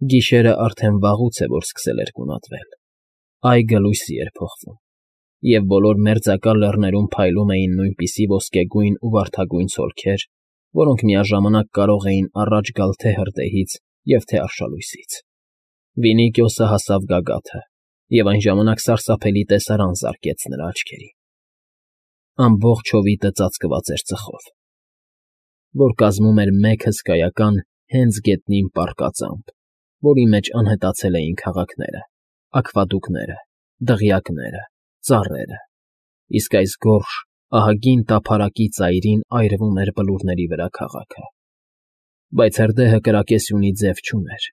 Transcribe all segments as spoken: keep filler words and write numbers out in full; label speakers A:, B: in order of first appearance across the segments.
A: Գիշերն արդեն վաղուց է, որ սկսել էր գունատվել, այգը լույսի էր փոխվում, և բոլոր մերձակա լեռներում փայլում էին նույնպիսի ոսկեգույն ու վարդագույն ցոլքեր, որոնք միաժամանակ կարող էին առաջ գալ թե հրդեհից և թե արշալույսից։ Վինիքիոսը հասավ գագաթը, և այն ժամանակ սարսափելի տեսարան զարկեց նրա աչքերին. ամբողջ հովիտը ծածկված էր ծխով, որ կազմում էր մեկ հսկայական, հենց գետնին պառկած ամպ, որի մեջ անհետացել էին քաղաքները, աքվադուկները, դղյակները, ծառերը, իսկ այս գորշ, ահագին տափարակի ծայրին այրվում էր բլուրների վրա քաղաքը։ Բայց հրդեհը կրակեսյունի ձև չուներ,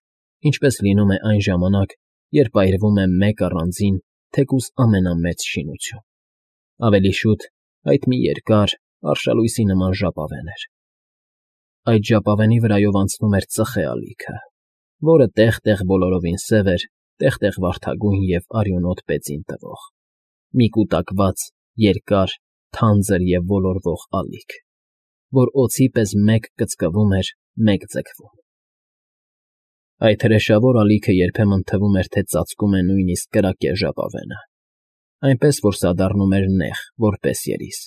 A: ինչպես լինում է այն ժամանակ, երբ այրվում է մեկ առանձին, թեկուզ ամենամեծ շինություն։ Ավելի շուտ այդ մի երկար, արշալույսի նման ժապավեն էր։ Այդ ժապավենի վրայով անցնում էր ծխե ալիքը, որը տեղ֊տեղ բոլորովին սև էր, տեղ֊տեղ վարդագույն և արյունոտ բեծին տվող, մի կուտակված, երկար, թանձր և ոլորվող ալիք, որ օձի պես մեկ կծկվում էր, մեկ ձգվում։ Այդ հրեշավոր ալիքը երբեմն թվում էր, թե ծածկում է նույնիսկ կրակե ժապավենը, այնպես որ սա դառնում էր նեղ, որպես երիս,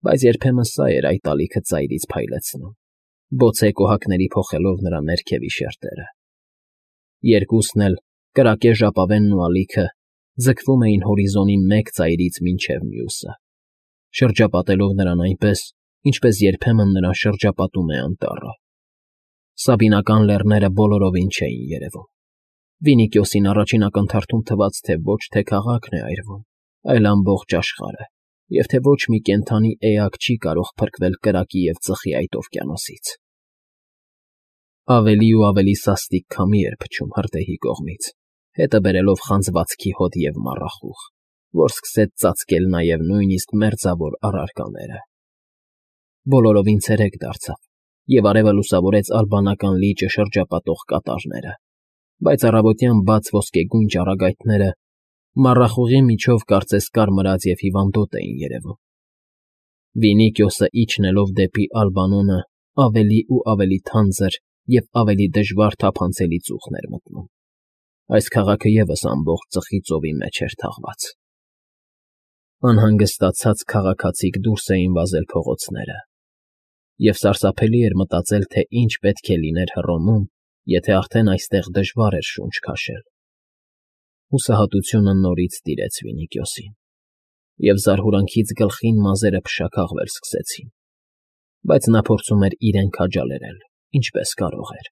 A: բայց երբեմն սա էր այդ ալիքը ծայրից փայլեցնում, բոցե կոհակների փոխելով նրա ներքևի շերտերը։ Երկուսն էլ, կրակե ժապավենն ու ալիքը, ձգվում էին հորիզոնի մեկ ծայրից մինչև մյուսը, շրջապատելով նրան այնպես, ինչպես երբեմն նրան շրջապատում է անտառը։ Սաբինական լեռները բոլորովին չէին երևում։ Վինիքիոսին առաջին ակնթարթում թվաց, թե ոչ թե քաղաքն է այրվում, այլ ամբողջ աշխարհը, և թե ոչ մի կենդանի էակ չի կարող փրկվել կրակի և ծխի այդ օվկիանոսից։ Ավելի ու ավելի սաստիկ քամի էր փչում հրդեհի կողմից, հետը բերելով խանձվածքի հոտ և մառախուղ, որ սկսեց ծածկել նաև նույնիսկ մերձավոր առարկաները։ Բոլորովին ցերեկ դարձավ, և արևը լուսավորեց ալբանական լիճը շրջապատող կատարները, բայց առավոտյան բաց ոսկեգույն ճառագայթները մառախուղի միջով կարծես կարմրած և հիվանդոտ էին երևում։ Վինիքիոսը իջնելով դեպի Ալբանոնը ավելի ու ավելի թանձր և ավելի դժվար թափանցելի ծուխն էր մտնում։ Այս քաղաքը ևս ամբողջ ծխի ծովի մեջ էր թաղված։ Անհանգստացած քաղաքացիք դուրս էին վազել փողոցները, և սարսափելի էր մտածել, թե ինչ պետք է լիներ Հռոմում, եթե արդեն այստեղ դժվար էր շունչ քաշել։ Հուսահատությունը նորից տիրեց Վինիքիոսին, և զարհուրանքից գլխին մազերը փշաքաղվել սկսեցին, բայց նա փորձում էր իրեն քաջալերել, ինչպես կարող էր։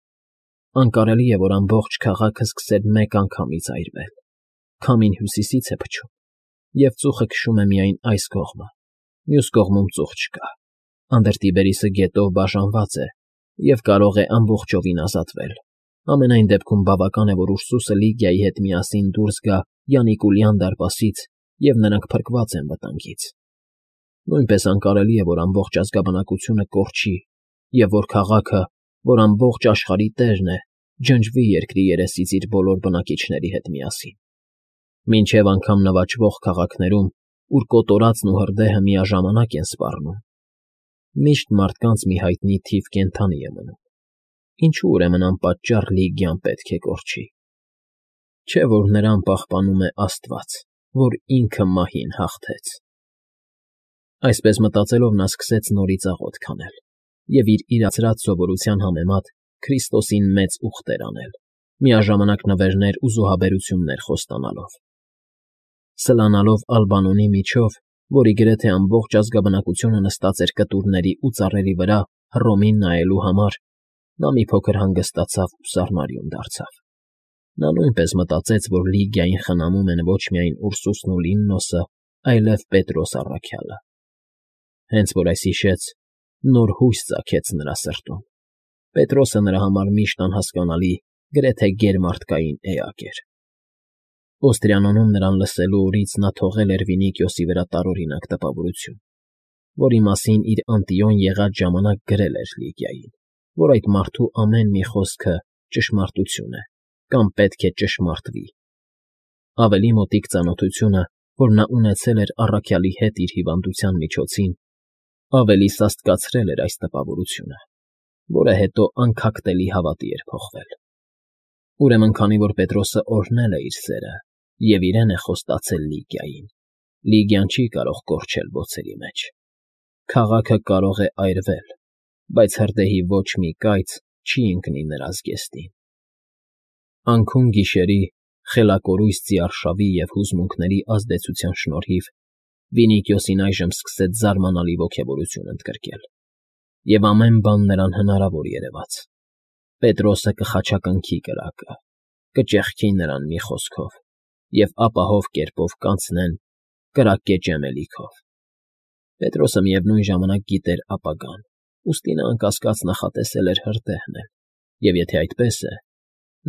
A: Անկարելի է, որ ամբողջ քաղաքը սկսեր մեկ անգամից այրվել։ Քամին հյուսիսից է փչում, և ծուխը քշում է միայն այս կողմը, մյուս կողմում ծուխ չկա։ Անդրտիբերիսը գետով բաժանված է և կարող է ամբողջովին ազատվել։ Ամենայն դեպքում բավական է, որ Ուրսուսը Լիգիայի հետ միասին դուրս գա Յանիկուլյան դարպասից, և նրանք փրկված են վտանգից։ Նույնպես անկարելի է, որ ամբողջ ազգաբնակությունը կորչի, և որ քաղաքը, որ ամբողջ աշխարհի տերն է, ջնջվի երկրի երեսից իր բոլոր բնակիչների հետ միասին։ Մինչև անգամ նվաճվող քաղաքներում, ուր կոտորածն ու հրդեհը միաժամանակ են սպառնում, միշտ մարդկանց մի հայտնի թիվ կենդանի է մնում։ Ինչո՞ւ ուրեմն անպատճառ Լիգիան պետք է կորչի։ Չէ՞ որ նրան պահպանում է Աստված, որ ինքը մահին հաղթեց։ Այսպես մտածելով նա սկսեց նորից աղոթք անել և իր իրացրած սովորության համեմատ Քրիստոսին մեծ ուխտեր անել, միաժամանակ նվերներ ու զոհաբերություններ խոստանալով։ Սլանալով Ալբանոնի միջով, որի գրեթե ամբողջ ազգաբնակությունը նստած էր կտուրների ու ծառերի վրա Հռոմին նայելու համար, նա մի փոքր հանգստացավ ու սառնարյուն դարձավ։ Նա նույնպես մտածեց, որ Լիգիային խնամում են ոչ միայն Ուրսուսն ու Լիննոսը, այլև Պետրոս առաքյալը։ Հենց որ այսիշեց նոր հույս ծագեց նրա սրտում։ Պետրոսը նրա համար միշտ անհասկանալի, գրեթե գերմարդկային էակ էր։ Օստրիանոնում նրան լսելու օրից նա թողել էր Վինիքիոսի վրա տարօրինակ տպավորություն, որի մասին իր Անտիոն եղած ժամանակ գրել էր Լիգիային, որ այդ մարդու ամեն մի խոսքը ճշմարտություն է կամ պետք է ճշմարտվի։ Ավելի մոտիկ ծանոթությունը, որ նա ունեցել էր առաքյալի հետ իր հիվանդության միջոցին, ավելի սաստկացրել էր այս տպավորությունը, որը հետո անքակտելի հավատի էր փոխվել։ Ուրեմն քանի որ Պետրոսը օրհնել է իր սերը և իրեն է խոստացել Լիգիային, Լիգիան չի կարող կորչել բոցերի մեջ. քաղաքը կարող է այրվել, բայց հրդեհի ոչ մի կայծ չի ընկնի նրա զգեստին։ Անքուն գիշերի, խելակորույս ձիարշավի և հուզմունքների ազդեցության շնորհիվ Վինիքիոսին այժմ սկսեց զարմանալի ոգևորություն ընդգրկել, և ամեն բան նրան հնարավոր երևաց. Պետրոսը կխաչակնքի կրակը, կճեղքի նրան մի խոսքով և ապահով կերպով կանցնեն կրակկեճ էմելիքով։ Պետրոսը միևնույն ժամանակ գիտեր ապագան, ուստի նա անկասկած նախատեսել էր հրդեհն էլ, և եթե այդպես է,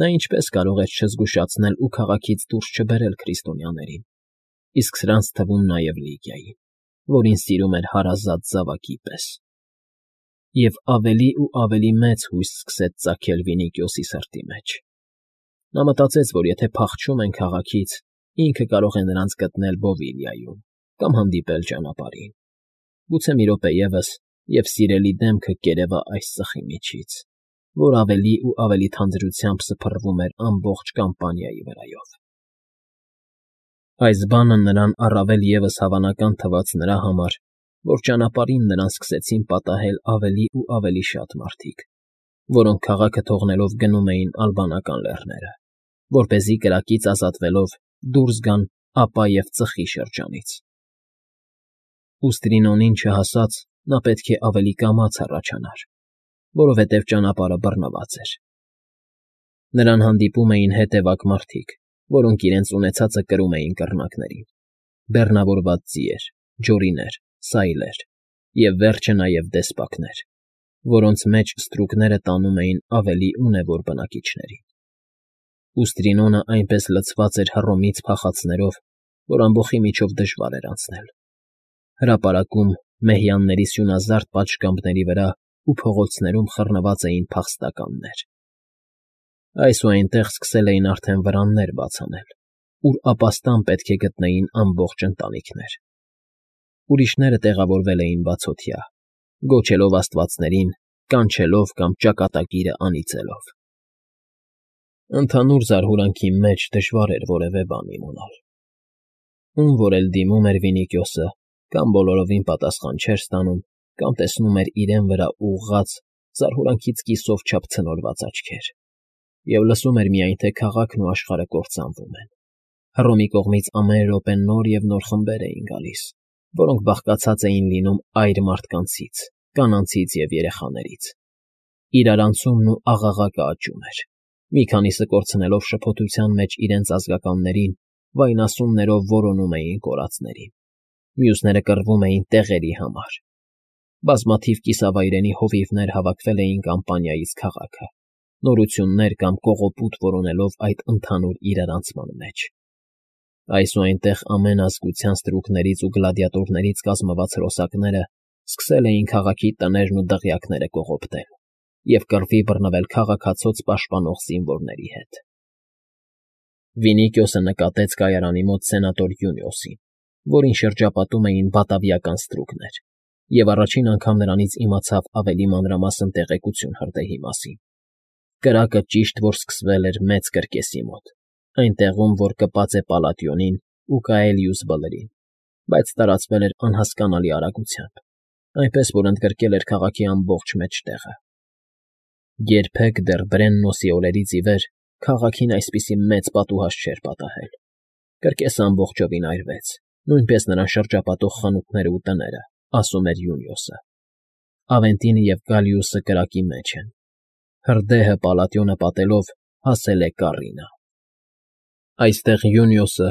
A: նա ինչպես կարող էր չզգուշացնել ու քաղաքից դուրս չբերել քրիստոնյաներին, իսկ սրանց թվում նաև Լիգիային, որին սիրում էր հարազատ զավակի պես։ Եվ ավելի ու ավելի մեծ հույս սկսեց ծագել Վինիքիոսի սրտի մեջ։ Նա մտածեց, որ եթե փախչում են քաղաքից, ինքը կարող է նրանց գտնել Բովիլիայում կամ հանդիպել ճանապարհին։ Գուցե մի րոպե ևս, և սիրելի դեմքը կերևա այս ծխի միջից, որ ավելի ու ավելի թանձրությամբ սփռվում էր ամբողջ կամպանիայի վրայով։ Այս բանը նրան առավել ևս հավանական թվաց նրա համար, որ ճանապարհին նրան սկսեցին պատահել ավելի ու ավելի շատ մարդիկ, որոնք քաղաքը թողնելով գնում էին Ալբանական լեռները, որպեսզի կրակից ազատվելով դուրս գան ապա և ծխի շրջանից։ Ուստրինոնին չհասած նա պետք է ավելի կամաց հառաչանար, որովհետև ճանապարհը բռնված էր։ Նրան հանդիպում էին հետևակ մարդիկ, որոնք իրենց ունեցածը կրում էին կռնակներին, բեռնավորված ձիեր, ջորիներ, սայլեր և վերջը նաև դեսպակներ, որոնց մեջ ստրուկները տանում էին ավելի ունևոր բնակիչներին։ Ուստրինոնը այնպես լցված էր հռոմից փախածներով, որ ամբոխի միջով դժվար էր անցնել։ Հրապարակում, մեհյանների սյունազարդ պատշգամբների վրա ու փողոցներում խռնված էին փախստականներ։ Այս ու այնտեղ սկսել էին արդեն վրաններ բաց անել, ուր ապաստան պետք է գտնեին ամբողջ ընտանիքներ։ Ուրիշները տեղավորվել էին բացօթյա, գոչելով աստվածներին, կանչելով կամ ճակատագիրը անիծելով։ Ընդհանուր զարհուրանքի մեջ դժվար էր որևէ բան իմանալ։ Ում որ էլ դիմում էր Վինիքիոսը, կամ բոլորովին պատասխան չէր ստանում, կամ տեսնում էր իրեն վրա ուղղված, զարհուրանքից կիսով չափ ցնորված աչքեր, և լսում էր միայն, թե քաղաքն ու աշխարհը կործանվում են։ Հռոմի կողմից ամեն րոպե նոր և նոր խմբեր էին գալիս, որոնք բաղկացած էին լինում այր մարդկանցից, կանանցից և երեխաներից։ Իրարանցումն ու աղաղակը աճում էր։ Մի քանիսը կորցնելով շփոթության մեջ իրենց ազգականներին, վայնասուններով որոնում էին կորածներին, մյուսները կռվում էին տեղերի համար։ Բազմաթիվ կիսավայրենի հովիվներ հավաքվել էին կամպանիայից քաղաքը, նորություններ կամ կողոպուտ որոնելով այդ ընդհանուր իրարանցման մեջ։ Այս ու այնտեղ ամեն ազգության ստրուկներից ու գլադիատորներից կազմված հրոսակները սկսել էին քաղաքի տներն ու դղյակները կողոպտել և կռվի բռնվել քաղաքացած պաշտպանող զինվորների հետ։ Վինիքիոսը նկատեց կայարանի մոտ սենատոր Յունիոսին, որին շրջապատում էին բատավիական ստրուկներ, և առաջին անգամ նրանից իմացավ ավելի մանրամասն տեղեկություն հրդեհի մասին։ Կրակը ճիշտ որ սկսվել էր մեծ կրկեսի մոտ, այն տեղում, որ կպած է Պալատիոնին ու Կաելիուս Բլրին, բայց տարածվել էր անհասկանալի արագությամբ, այնպես որ ընդգրկել էր քաղաքի ամբողջ մեջտեղը։ Երբեք դեռ Բրեննոսի օրերից ի վեր քաղաքին այսպիսի մեծ պատուհաս չէր պատահել։ Կրկեսը ամբողջովին այրվեց, նույնպես նրան շրջապատող խանութներն ու տները, ասում էր Յունիոսը։ Ավենտինը և Գալիուսը կրակի մեջ են։ Հրդեհը Պալատիոնը պատելով հասել է Կառինա։ Այստեղ Յունիոսը,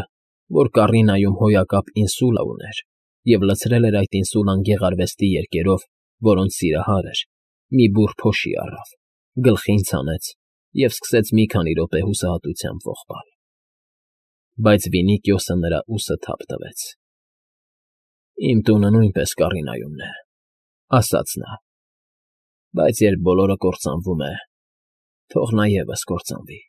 A: որ Կառինայում հոյակապ ինսուլա ուներ և լցրել էր այդ ինսուլան գեղարվեստի երկերով, որոնց սիրահար էր, մի բուռ փոշի առավ, գլխին ցանեց և սկսեց մի քանի րոպե հուսահատությամբ ողբալ։ Բայց Վինիքիոսը նրա ուսը թափ տվեց։ «Իմ տունը նույնպես Կառինայումն է,֊ ասաց նա,֊ բայց երբ բոլորը կործանվում է, թող նա ևս կործանվի»։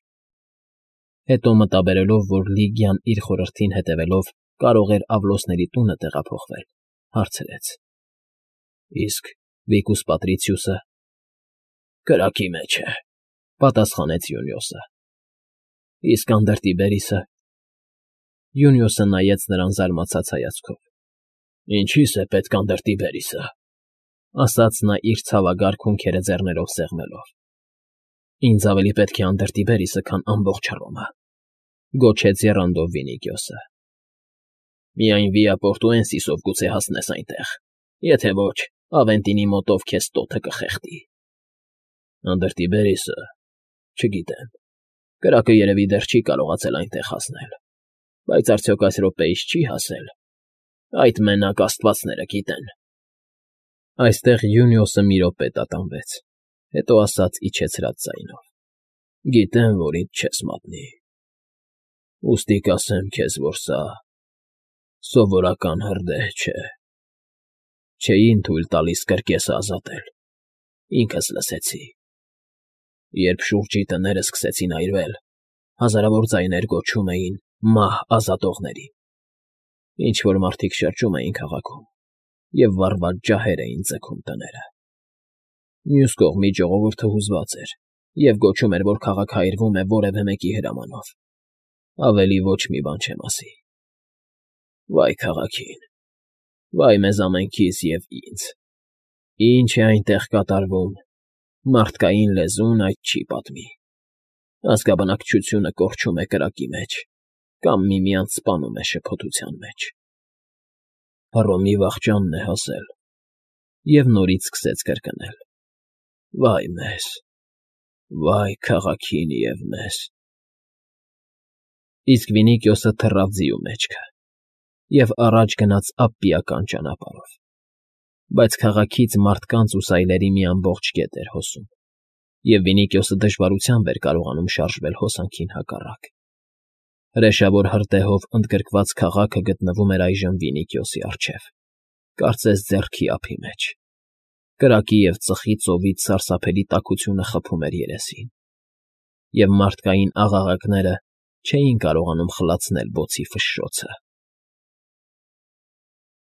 A: Հետո մտաբերելով, որ Լիգիան իր խորհրդին հետևելով կարող էր Ավլոսների տունը տեղափոխվել, հարցրեց. «Իսկ Վիկուս Պատրիցիուսը…»։ «Կրակի մեջ է,֊ պատասխանեց Յունիոսը։ Իսկ անդրտիբերիսը… Յունիոսը նայեց նրան զարմացած հայացքով։ ֊ Ինչի՞ս է պետք անդրտիբերիսը,֊ ասաց նա իր ցավագար հունքերը ձեռներով սեղմելով։ ֊ Ինձ ավելի պետք է անդրտիբերիսը, քան ամբողջ Հռոմը,֊ գոչեց եռանդով Վինիգիոսը։ ֊ Միայն Վիապորտուենսիսով գուցե հասնես այնտեղ, եթե ոչ, Ավենտինի մոտով քեզ տոթը կխեղդի։ ֊ Անդրտիբերիսը… չգիտեմ, կրակը երևի դեռ չի կարողացել այնտեղ հասնել, բայց արդյոք այս րոպեիս չի՞ հասել, այդ մենակ աստվածները գիտեն… Այստեղ Յունիոսը մի րոպե տատանվեց, հետո ասաց իջեցրած ձայնով. ֊ Գիտեմ, որ ինձ չես մատնի… Ուստի կասեմ քեզ, որ սա… սովորական հրդեհ չէ… Չէին թույլ տալիս կրկես ազատել, ինքս լսեցի… Երբ շուրջի տները սկսեցին այրվել, հազարավոր ձայներ գոչում էին «Մահ ազատողներին», ինչ֊որ մարդիկ շրջում էին քաղաքում և վառված ջահեր էին ձգում տները… Մյուս կողմի ժողովուրդը հուզված էր և գոչում էր, որ քաղաքը այրվում է որևէ մեկի հրամանով… Ավելի ոչ մի բան չեմ ասի… Վայ քաղաքին… Վայ մեզ ամենքիս և ինձ… Ինչ է այնտեղ կատարվում, մարդկային լեզուն այդ չի պատմի… Ազգաբնակչությունը կորչում է կրակի մեջ կամ միմյանց սպանում է շփոթության մեջ… Հռոմի վախճանն է հասել… Եվ նորից սկսեց կրկնել. «Վայ մեզ… Վայ քաղաքին և մեզ…»։ Իսկ Վինիգիոսը թռավ ձիու մեջքը և առաջ գնաց Ափպիական ճանապարհով, բայց քաղաքից մարդկանց ու սայլերի մի ամբողջ կետ էր հոսում, և Վինիգիոսը դժվարությամբ էր կարողանում շարժվել հոսանքին հակառակ… Հրեշավոր հրդեհով ընդգրկված քաղաքը գտնվում էր այժմ Վինիգիոսի առջև, կարծես ձեռքի ափի մեջ… Կրակի և ծխի ծովից սարսափելի տաքությունը խփում էր երեսին, և մարդկային աղաղակները չէին կարողանում խլացնել բոցի ֆշշոցը։